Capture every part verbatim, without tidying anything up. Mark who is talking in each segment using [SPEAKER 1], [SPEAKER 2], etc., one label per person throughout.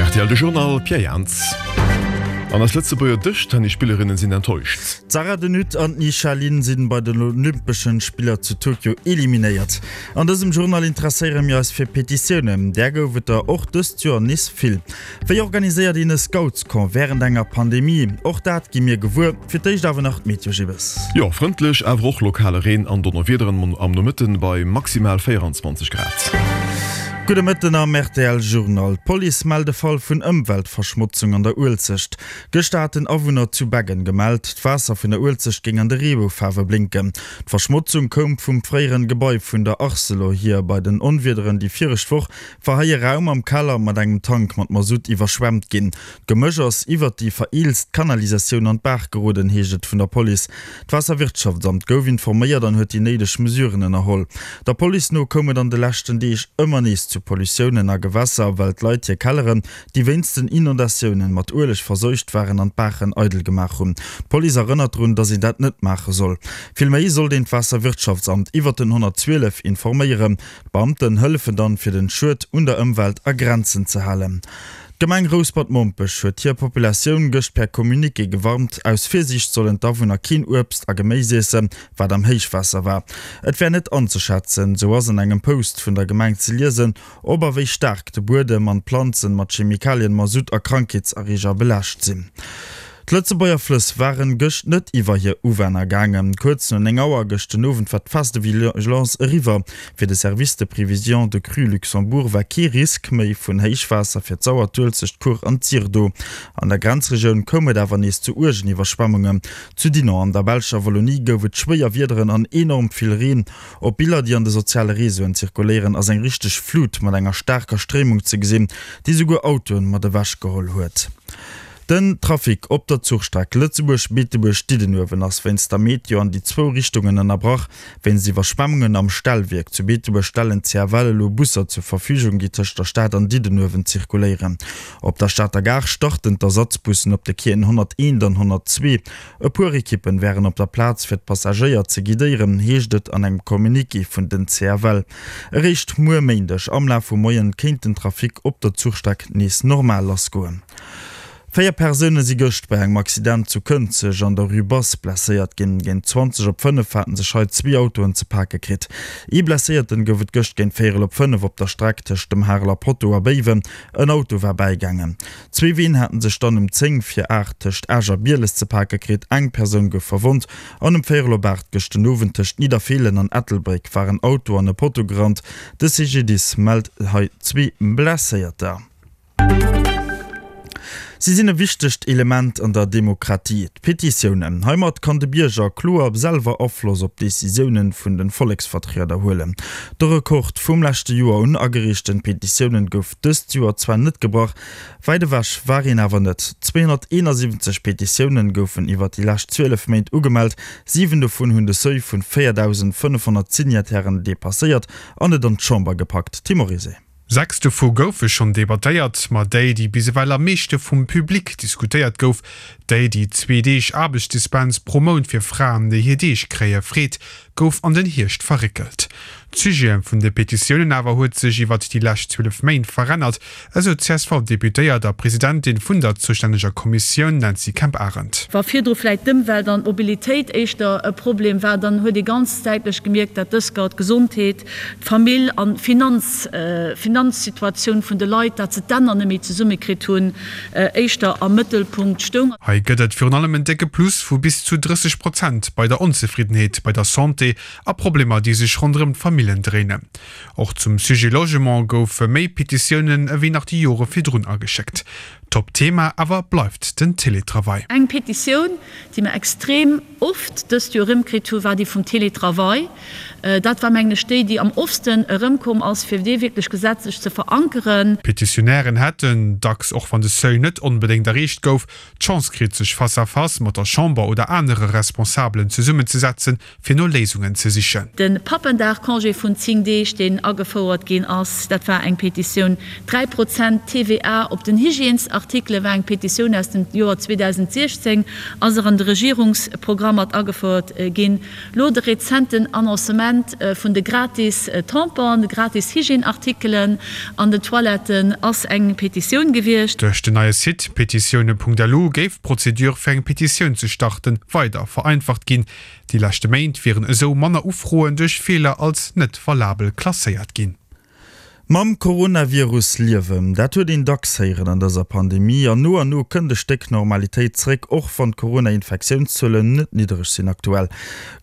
[SPEAKER 1] R T L de Journal, Pierre Jans. An eis Lëtzebuerger Dëschtennisspillerinnen sinn enttäuscht.
[SPEAKER 2] D'Sarah de Nutte an d'Ni Xia Lian sinn bei den Olympeschen Spiller zu Tokio eliminéiert. An dësem Journal interesséiere mir eis fir Petitiounen. Där gouf et der och dëst Joer nees vill. Wéi organiséiert een e Scoutscamp wärend enger Pandemie? Och dat gi mir gewuer. Fir d'éischt awer nach d'Meteo Gibbes.
[SPEAKER 1] Jo, frëndlech, awer och lokale Reen an Donnerwiederen am Nomëtten bei maximal véierenzwanzeg Grad.
[SPEAKER 2] Gudde Mëtten am R T L Journal. D'Police mellt e Fall vun Ëmweltverschmotzung an der Uelzecht. Gëschter haten Awunner zu Beggen gemellt, d'Waasser vun der Uelzecht géing an de Reeboufaarwe blénken. D'Verschmotzung koum vum fréieren Gebai vun der Arcelor hier. Bei den Onwiederen déi viregt Woch war hei e Raum am Keller mat engem Tank mat Masutt iwwerschwemmt ginn. D'Gemësch ass iwwert déi vereelzt Kanalisatioun an d'Baach geroden, heescht et vun der Police. D'Waasserwirtschaftsamt gouf informéiert an huet déi néideg Mesuren ënnerholl. Der Police no koum et an de leschten Deeg ëmmer nees zu Pollutiounen a Gewässer, well d'Leit hir Kelleren, déi wéinst den Inondatiounen mat Ueleg verseucht waren, an d'Baachen eidel gemaach hunn. D'Police erënnert drun, datt een dat net maache soll. Villméi sollt een d'Waasserwirtschaftsamt iwwert den honnertzwielef informéieren. D'Beamten hëllefen dann, fir den Schued un der Ëmwelt a Grenzen ze halen. D'Gemeng Rouspert-Mompech huet hir Populatioun gëscht per Communiqué gewarnt, aus Virsiicht sollen d'Awunner keen Uebst a Geméis iessen, wat am Héichwaasser war. Et wär net anzeschätzen, sou ass an engem Post vun der Gemeng ze liesen, ob a wéi staark de Buedem an d'Planzen mat Chemikalien, Masutt a Krankheetserreeger belaascht sinn. D'Lëtzebuerger Flëss waren gëscht net iwwer hir Uwänner gaangen. Kuerz no néng Auer gëscht den Owend war d'Phase de vigilance eriwwer. Fir de Service de prévision de crue Luxembourg war kee Risk méi vun Héichwaasser fir d'Sauer, d'Uelzecht, d'Kuer an d'Syr do. An der Grenzregioun koum et awer nees zu uergen Iwwerschwemmungen. Zu Dinant an der belscher Wallonie gouf et schwéier Wiederen an enorm vill Reen. Op Biller, déi an de soziale Reseauen zirkuléieren, ass eng richteg Flut mat enger staarker Stréimung ze gesinn, déi souguer Autoen mat ewech geholl huet. Den Trafic op der Zuchstreck Lëtzebuerg-Beetebuerg-Diddenuewen ass wéinst der Meteo an déi zwou Richtungen ënnerbrach. Wéinst Iwwerschwemmungen am Stellwierk zu Beetebuerg stellen d'C F L elo Busser zur Verfügung, déi tëscht der Stad an Diddenuewen zirkuléieren. Op der Stater Gare starten d'Ersatzbussen op de Quaien honnerteent an honnertzwee. E puer Ekippen wären op der Plaz fir d'Passagéier ze guidéieren, heescht et an engem Communiqué vun den C F L. Eréischt muer Méindeg am Laf vum Moien kéint den Trafic op der Zuchstreck nees normal lassgoen. Véier Persoune si gëscht bei engem Accident zu Kënzeg an der Rue Basse blesséiert ginn. Géint zwanzeg op fënnef haten sech hei zwee Autoen ze pake kritt. Ee Blesséierten gouf et gëscht géint véierel op fënnef op der Streck tëscht dem Hareler Potto a Béiwen. En Auto war bäigaangen. Zwee Ween haten sech dann um zéng vir aacht tëscht Esch a Bieles ze pake kritt. Eng Persoun gouf verwonnt. An um véierel op aacht gëscht den Owend tëscht Nidderfeelen an Ettelbréck war en Auto an e Potto gerannt. De C G D I S mellt hei zwee Blesséierter. Si sinn e wichtegt Element an der Demokratie, d'Petitiounen. Heimat kann de Bierger kloer selwer Afloss op d'Decisiounen vun de Volleksvertrieder huelen. De Rekord vum leschte Joer un agereechten Petitiounen gouf dëst Joer zwar net gebrach, wäit ewech war een awer net. zweehonnerteenasiwwenzeg Petitiounen goufen iwwer déi lescht zwielef Méint ugemellt, siwen dovun hunn de Seuil vun véierdausendfënnefhonnert Signatairen depasséiert an et an d'Chamber gepackt. Tim Morizet.
[SPEAKER 3] Sechs dovu goufe schonn debattéiert, ma déi, déi bis ewell am meeschte vum Public diskutéiert gouf, déi, déi zwee Deeg Aarbechtsdispens pro Mount fir Fraen, déi hir Deeg kréie freet, gouf an den Hierscht verréckelt. D'Sujete vun de Petitiounen awer huet sech iwwer déi lescht zwielef Méint verännert, esou d'C S V-Deputéiert a Presidentin vun der zoustänneger Kommissioun Nancy Kemp-Arendt.
[SPEAKER 4] Wa virdru vläicht d'Ëmwelt an d'Mobilitéit éischter e Problem war, dann huet ee ganz däitlech gemierkt, dat dëst Joer d'Gesondheet, d'Famill an d'Finanz, Finanzsituatioun vun de Leit, dat se d'Enner net méi zesummekritt hunn, éischter am Mëttelpunkt stoung.
[SPEAKER 3] Hei gëtt et virun allem en décke Plus vu bis zu drësseg Prozent bei der Onzefriddenheet bei der Santé a Problemer, déi sech ronderëm d'Famillen dréinen. Och zum Sujet Logement goufe méi Petitiounen ewéi nach déi Jore virdrun ageschéckt. Top-Thema awer bleift den Télétravail.
[SPEAKER 4] Eng Petitioun, déi mer extrem oft dëst Joer erëmkritt hunn, war déi vum Télétravail. Dat war, mengen ech, déi, déi am oftsten erëmkomm ass, fir dee wierklech gesetzlech ze verankeren.
[SPEAKER 3] D'Petitionären hätten, dacks och wann de Seuil net onbedéngt erreecht gouf, d'Chance kritt, sech face à face mat der Chamber oder anere Responsabelen zesummenzesetzen, fir no Léisungen ze sichen.
[SPEAKER 4] De Pappendag-Congé vun zéng Deeg, deen agefouert ginn ass, dat war eng Petitioun. Dräi Prozent T V A op den Hygiènesartikele war eng Petitioun aus dem Joer zweedausendsechzéng, ass och an de Regierungsprogramm mat agefouert ginn. Lo de rezenten Annoncement Vente vun de gratis Tamponen, de gratis Hygièneartikelen an den Toiletten ass eng Petitioun gewiescht.
[SPEAKER 3] Duerch den neie Site petitioune.lu géif d'Prozedure fir eng Petitioun ze starten weider vereinfacht ginn. Déi leschte Méint wieren esou manner Ufroen duerch Feeler als net valabel klasséiert ginn.
[SPEAKER 2] Mam Coronavirus liewen, dat huet een dacks héieren an dëser Pandemie. An no an no kënnt e Stéck Normalitéit zréck, och wann d'Corona-Infektiounszuelen net niddereg sinn aktuell.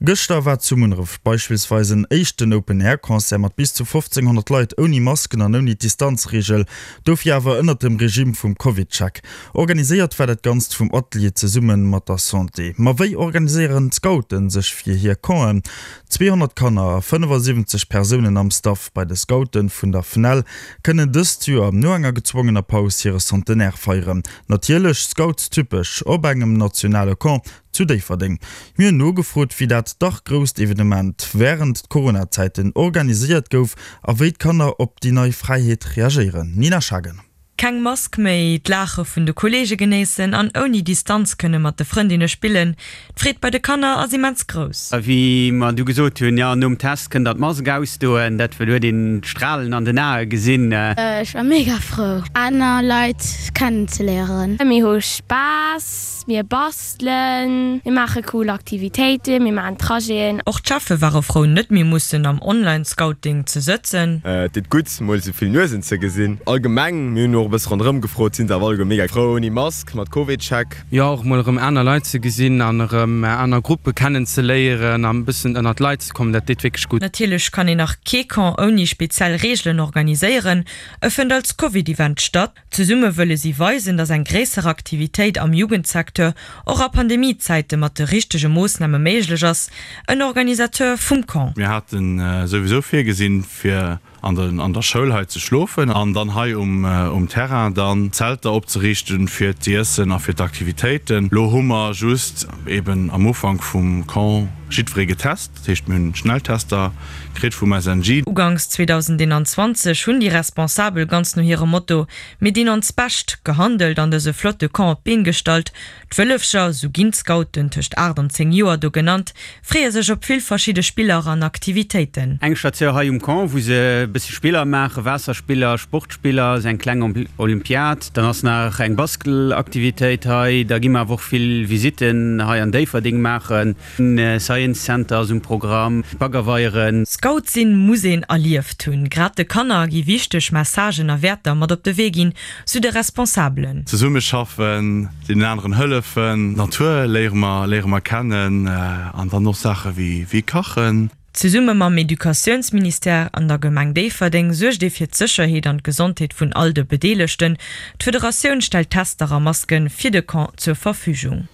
[SPEAKER 2] Gëschter war zu Munneref beispillsweis en éischten Open-Air-Concert mat bis zu fofzénghonnert Leit ouni Masken an ouni Distanzreegel, dofir awer ënnert dem Regime vum CovidCheck. Organiséiert war dat Ganzt vum Atelier zesumme mat der Santé. Ma wéi organiséieren d'Scouten sech fir hir Campen? Zweehonnert Kanner a fënnefasiwwenzeg Persounen am Staff bei de Scoute vun der FNEL kënnen dëst Joer no enger gezwongener Paus hire Centenaire feieren. Natierlech scoutstypesch op engem nationale Camp zu Déifferdeng. Mir hunn nogefrot, wéi dat dach grousst Evenement wärend d'Corona-Zäiten organiséiert gouf a wéi d'Kanner op déi nei Fräiheet reagéieren. Nina Schagen.
[SPEAKER 5] Keng Mask méi, d'Laache vun de Kolleege genéissen an ouni Distanz kënne mat de Frëndinne spillen, d'Freed bei de Kanner ass immens grouss.
[SPEAKER 6] A wéi mer du gesot hunn, jo, nom Test kënnt der d'Mask ausdoen, dat well huet een d'Stralen an den Ae gesinn.
[SPEAKER 7] Ech war mega frou aner Leit kennen ze léieren. Mir hu Spaass, mir bastelen, mir maache cool Aktivitéiten, mir maachen Trajeten.
[SPEAKER 5] Och d'Cheffe ware frou net méi mussen am Online-Scouting ze sëtzen.
[SPEAKER 8] Et deet gutt mol esou vill Nuesen ze gesinn. Allgemeng, mir hunn och e bësse ronderëm gefrot, sinn se awer alleguer mega frou ouni Mask, mat Covid-Check.
[SPEAKER 9] Jo, och mol erëm aner Leit ze gesinn an erëm aner Gruppe kennen ze léieren an e bëssen ënnert d'Leit ze kommen, dat deet wierklech gutt.
[SPEAKER 5] Natierlech kann een nach kee Camp ouni speziell Reegelen organiséieren. E fënnt als Covid-Event statt. Zesumme wëlle si weisen, datt eng gréisser Aktivitéit am Jugendsecteur och a Pandemiezäite mat de richtege Moossname méiglech ass. En Organisateur vum Camp.
[SPEAKER 10] Mir hate souwisou virgesinn, fir an der Schoul hei ze schlofen an dann hei um Terrain dann Zelter opzeriichten fir d'Iessen a fir d'Aktivitéiten. Lo hu mer just eben am Ufank vum Camp jiddweree getest, dat heescht mir hunn Schnelltester kritt vum S N G.
[SPEAKER 5] Uganks zweedausendeenanzwanzeg hunn déi Responsabel ganz no hirem Motto Mir dinn ons Bescht gehandelt an dëse flotte Camp op d'Been gestallt. D'Wëllefcher, sou ginn d'Scouten tëscht aacht an zéng Joer do genannt, freeë sech op vill verschidde Spiller an Aktivitéiten.
[SPEAKER 6] Eng Statioun hei um Camp, wou se e bësse Spiller maachen, Waasserspiller, Sportspiller, esou eng kleng Olympiad. Dann ass nach eng Bastelaktivitéit hei. Da gi mer awer och vill Visitten hei an Déifferdeng maachen. Science Center ass um Programm, Baggerweieren.
[SPEAKER 5] Scout sinn muss een erlieft hunn. Grad de Kanner gi wichteg Messagen a Wäerter mat op de Wee ginn, sou de Responsabelen.
[SPEAKER 10] Zesummeschaffen, deenen aneren hëllefen, d'Natur léiere mer léiere mer kennen an dann och Saache wéi wéi kachen.
[SPEAKER 5] Zesumme mam Educatiounsministère an der Gemeng Déifferdeng suergt ee fir d'Sécherheet an d'Gesondheet vun all de Bedeelegten. D'Federatioun stellt Tester a Maske fir de Camp zur Verfügung.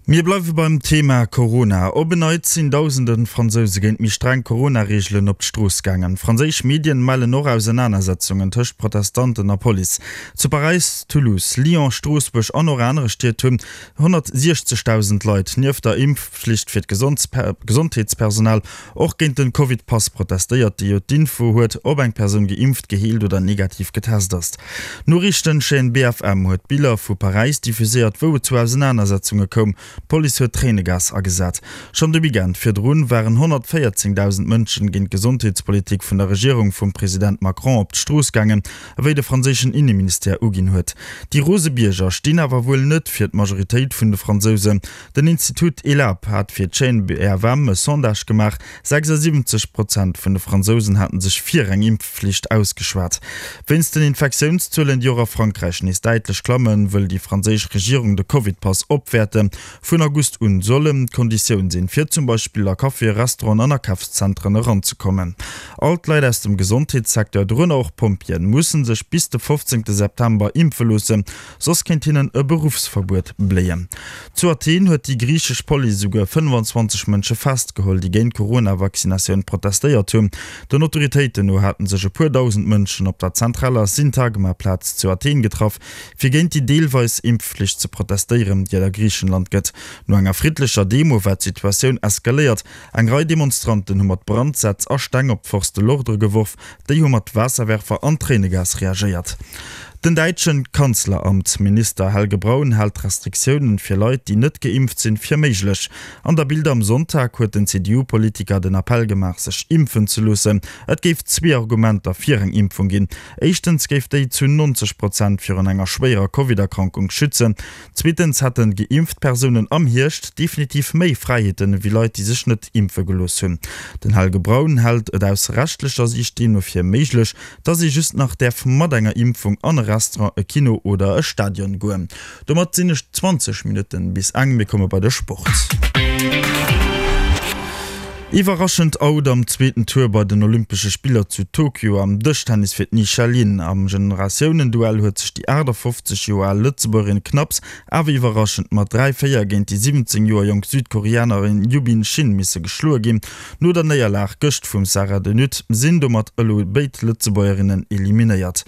[SPEAKER 2] Mir bleiwe beim Thema Corona. Op en Neits sinn dausende Fransouse géint méi streng Corona-Reegelen op d'Strooss gaangen. Franséisch Medien mellen och Ausenanersetzungen tëscht Protestanten a Police. Zu Paräis, Toulouse, Lyon, Stroossbuerg an och anere Stied hunn honnertsiechzegdausend Leit nieft der Impfflicht fir d'Gesondheetspersonal och géint den Covid-Pass protestéiert, dee jo d'Info huet, ob eng Persoun geimpft, geheelt oder negativ getest ass. D'Noriichtenchaîne B F M huet Biller vu Paräis diffuséiert, wou et zu Ausenanersetzunge koum. D'Police huet Tréinegas agesat. Schonn de Weekend virdrun waren honnertvéierzéngdausend Mënschen géint d'Gesondheetspolitik vun der Regierung vum President Macron op d'Strooss gaangen, ewéi de franséischen Inneministère uginn huet. Déi rose Bierger stinn awer wuel net fir d'Majoritéit vun de Fransousen. Den Institut Elabe hat fir d'Chaîne B F M e Sondage gemaach, sechsasiwwenzeg Prozent vun de Fransousen haten sech fir eng Impfflicht ausgeschwat. Wéinst den Infektiounszuelen, déi och a Frankräich nees däitlech klammen, wëll déi franséisch Regierung de Covid-Pass opwäerten. Vun August un soll en d'Konditioun sinn, fir zum Beispill a Caféen, Restauranten an Akafszentren eranzekommen. All d'Leit aus dem Gesondheetssecteur, dorënner och Pompjeeën, musse sech bis de fofzéngte September impfe loossen, soss kéint hinnen e Beruffsverbuet bléien. Zu Athen huet déi griichesch Police esouguer fënnfanzwanzeg Mënsche festgeholl, déi géint d'Corona-Vaccinatioun protestéiert hunn. Den Autoritéiten no haten sech e puer dausend Mënschen op der zentraler Syntagma-Plaz zu Athen getraff, fir géint déi deelweis Impfflicht ze protestéieren, déi et a Griichenland gëtt. No enger friddlecher Demo war d'Situatioun eskaléiert. Eng Rei Demonstranten hu mat Brandsätz a Steng op d'Forces de l'ordre geworf, déi hu mat Waasserwerfer an Tréinegas reagéiert. Den däitschen Kanzleramtsminister Helge Braun hält Restriktiounen fir Leit, déi net geimpft sinn, fir méiglech. An der Bild am Sonntag huet den C D U-Politiker den Appell gemaach, sech impfen ze loossen. Et géif zwee Argumenter fir eng Impfung ginn. Éischtens géif déi zu neunzeg Prozent virun enger schwéierer Covid-Erkrankung schützen. Zweetens hätte geimpft Persounen am Hierscht definitiv méi Fräiheeten ewéi Leit, déi sech net impfe gelooss hunn. Den Helge Braun hält et aus rechtlecher Siicht deemno fir méiglech, dass ee just nach däerf mat enger Impfung an e Restaurant, e Kino oder e Stadion goen. Domat sinn et zwanzeg Minutten bis eng, mir komme bei de Sport. Iwwerraschend Out am zweeten Tour bei den Olympesche Spiller zu Tokio am Dëschtennis fir d'Ni Xia Lian. Am Generatiounenduell huet sech déi achtafofzeg Joer al Lëtzebuergerin knapps awer iwwerraschend mat dräi, véier géint déi siwwenzéng Joer jonk Südkoreanerin Yubin Shin misse geschloe ginn. No der Néierlag gëscht vum Sarah de Nutte sinn domat elo béid Lëtzebuergerinnen eliminéiert.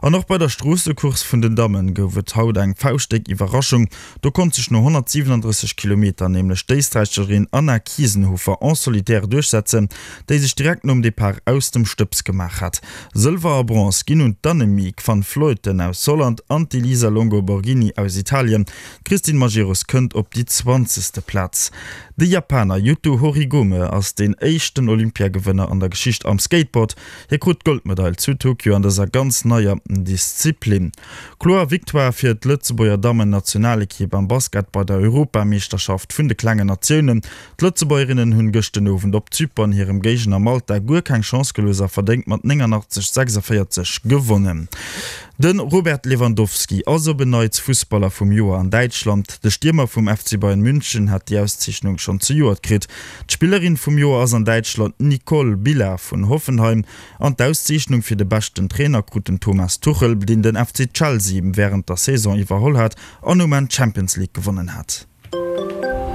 [SPEAKER 2] An och bei der Stroossecourse vun den Dammen gouf et haut eng fauschtdéck Iwwerraschung. Do konnt sech no honnertsiwenandrësseg Kilometer nämlech d'Éisträicherin Anna Kiesenhofer en solitaire duerchsetzen, déi sech direkt nom Depart aus dem Stëbs gemaach hat. Sëlwer a Bronze ginn un d'Annemiek van Vleuten aus Holland an d'Elisa Longo Borghini aus Italien. D'Christine Majerus kënnt op déi zwanzegste Plaz. De Japaner Yuto Horigome ass deen éischten Olympiagewënner an der Geschicht am Skateboard. Hie krut d'Goldmedail zu Tokio an dëser ganz neier Disziplin. Kloer Victoire fir d'Lëtzebuerger Dammen-Nationalekipp am Basket bei der Europameeschterschaft vun de klengen Natiounen. D'Lëtzebuergerinnen hunn gëscht den Owend op Zypern hirem Géigner Malta guer keng Chance gelooss a verdéngt mat néngannachtzeg, sechsaféierzeg gewonnen. De Robert Lewandowski ass op en Neits Fussballer vum Joer an Däitschland. De Stiermer vum F C Bayern München hat déi Auszeechnung schonn zejoert kritt. D'Spillerin vum Joer ass an Däitschland d'Nicole Billa vun Hoffenheim an d'Auszeechnung fir de beschten Trainer krut den Thomas Tuchel, deen den F C Chelsea wärend der Saison iwwerholl hat an um Enn d'Champions League gewonnen hat.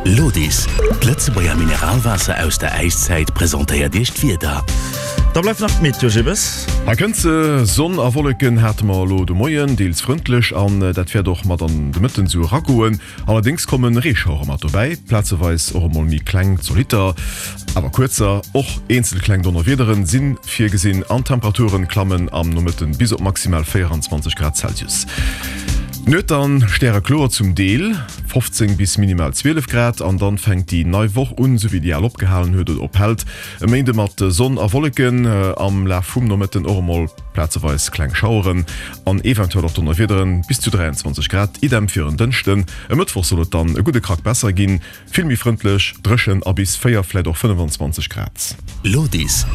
[SPEAKER 11] Lodis, d'Lëtzebuerger Mineralwaasser aus der Äiszäit, presentéiert Iech d'Wieder.
[SPEAKER 2] Da bleift nach d'Meteo, Jibbes.
[SPEAKER 1] Hei kënnt se, Sonn a Wolleken hate mer elo de Moien, deels frëndlech an dat wäert och mat an de Mëtten esou eragoen. Allerdéngs komme Reeschauere mat dobäi, plazeweis och emol méi kleng Zolitter, awer kuerzer. Och eenzel kleng Donnerwiederen si virgesinn an d'Temperaturen klammen am Nomëtten bis op maximal véieranzwanzeg Grad Celsius. D'Nuet dann stärekloer zum Deel, fofzéng bis minimal zwielef Grad, an dann fänkt déi nei Woch un, sou wéi déi al opgehalen huet oder ophält. E Méinde mat Sonn a Wolleken, am Laf vum Nomëtten och emol plazeweis kleng Schaueren an eventuell och Donnerwiederen, bis zu dräianzwanzeg Grad. Idem fir en Dënschden. E Mëttwoch soll et dann e gudde Krack besser ginn, vill méi frëndlech, dréchen a bis véier, vläit och fënnefanzwanzeg Grad.
[SPEAKER 11] Lodis.